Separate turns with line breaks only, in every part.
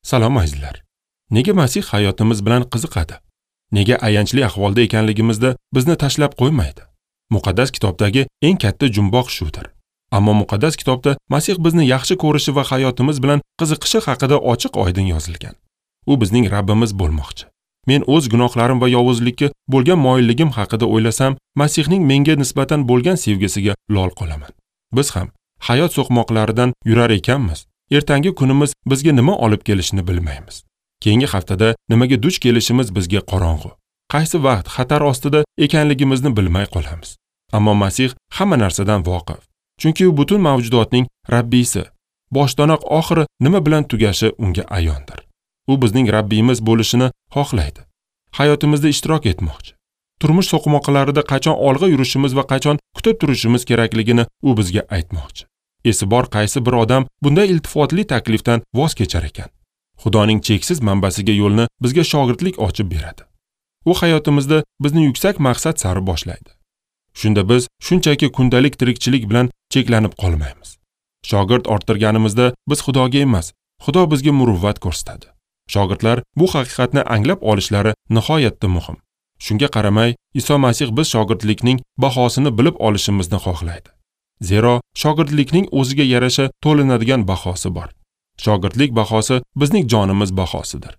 Salom azizlar. Nega Masih hayotimiz bilan qiziqadi? Nega ayanchli ahvolda ekanligimizda bizni tashlab qo'ymaydi? Muqaddas kitobdagi eng katta jumboq shudir. Ammo muqaddas kitobda Masih bizni yaxshi ko'rishi va hayotimiz bilan qiziqishi haqida ochiq-oydin yozilgan. U bizning Rabbimiz bo'lmoqchi. Men o'z gunohlarim va yovuzlikka bo'lgan moyilligim haqida o'ylasam, Masihning menga nisbatan bo'lgan sevgisiga lol qolaman. Biz ham hayot so'qmoqlaridan yurar ekanmiz, ertangi kunimiz bizga nima olib kelishini bilmaymiz. Keyingi haftada nimaga duch kelishimiz bizga qorong'u. Qaysi vaqt xatar ostida ekanligimizni bilmay qolamiz. Ammo Masih hamma narsadan voqif. Chunki u butun mavjudotning Rabbisi. Boshdanoq oxiri nima bilan tugashi unga ayondir. U bizning Rabbimiz bo'lishini xohlaydi. Hayotimizda ishtirok etmoqchi. Turmush so'qmoqlarida qachon olg'a yurishimiz va qachon kutib turishimiz kerakligini u bizga aytmoqchi. Esi bor qaysi bir odam bunday iltifotli taklifdan voz kechar ekan? Xudoning cheksiz manbasiga yo'lni bizga shogirdlik ochib beradi. U hayotimizda bizni yuksak maqsad sari boshlaydi. Shunda biz shunchaki kundalik tirikchilik bilan cheklanib qolmaymiz. Shogird orttirganimizda biz Xudoga emas, Xudo bizga muruvvat ko'rsatadi. Shogirdlar bu haqiqatni anglab olishlari nihoyatda muhim. Shunga qaramay, Iso Masih biz shogirdlikning bahosini bilib olishimizni xohlaydi. Zero shogirdlikning o'ziga yarasha to'lanadigan bahosi bor. Shogirdlik bahosi bizning jonimiz bahosidir.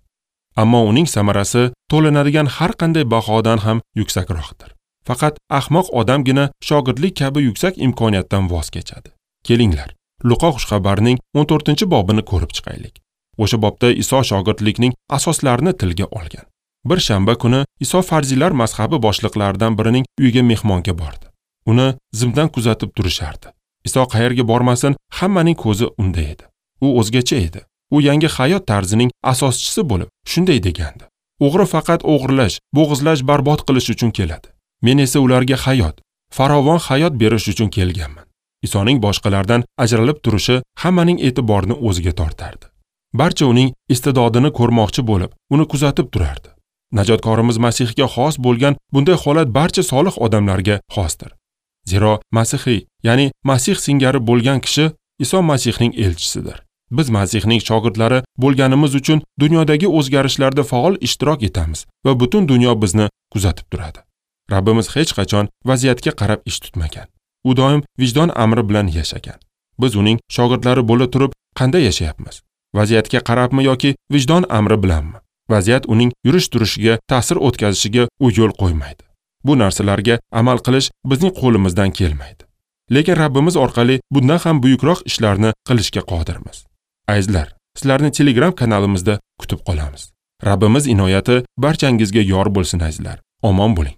Ammo uning samarasi to'lanadigan har qanday bahodan ham yuksakroqdir. Faqat ahmoq odamgina shogirdlik kabi yuksak imkoniyatdan voz kechadi. Kelinglar, Luqo xushxabarining 14-bobini ko'rib chiqaylik. O'sha bobda Iso shogirdlikning asoslarini tilga olgan. Bir shanba kuni Iso farziylar mazhabi boshliqlaridan birining uyiga mehmonga bordi. Uni zimdan kuzatib turishardi. Iso qayerga bormasin, hammaning ko'zi unda edi. U o'zgacha edi. U yangi hayot tarzining asoschisi bo'lib, shunday degandi: "O'g'ri faqat o'g'irlash, bo'g'izlash, barbod qilish uchun keladi. Men esa ularga hayot, farovon hayot berish uchun kelganman." Isoning boshqalardan ajralib turishi hammaning e'tiborini o'ziga tortardi. Barcha uning iste'dodini ko'rmoqchi bo'lib, uni kuzatib turardi. Najotkorimiz Masihga xos bo'lgan bunday holat barcha solih odamlarga xosdir. Zero Masihiy, ya'ni Masih singari bo'lgan kishi Iso Masihning elchisidir. Biz Masihning shogirdlari bo'lganimiz uchun dunyodagi o'zgarishlarda faol ishtirok etamiz va butun dunyo bizni kuzatib turadi. Rabbimiz hech qachon vaziyatga qarab ish tutmagan. U doim vijdon amri bilan yashagan. Biz uning shogirdlari bo'la turib qanday yashayapmiz? Vaziyatga qarabmi yoki vijdon amri bilanmi? Vaziyat uning yurish-turishiga ta'sir o'tkazishiga u yo'l qo'ymaydi. Bu narsalarga amal qilish bizning qo'limizdan kelmaydi. Lekin Rabbimiz orqali bundan ham buyukroq ishlarni qilishga qodirmiz. Azizlar, sizlarni Telegram kanalimizda kutib qolamiz. Rabbimiz inoyati barchangizga yor bo'lsin azizlar. Omon bo'ling.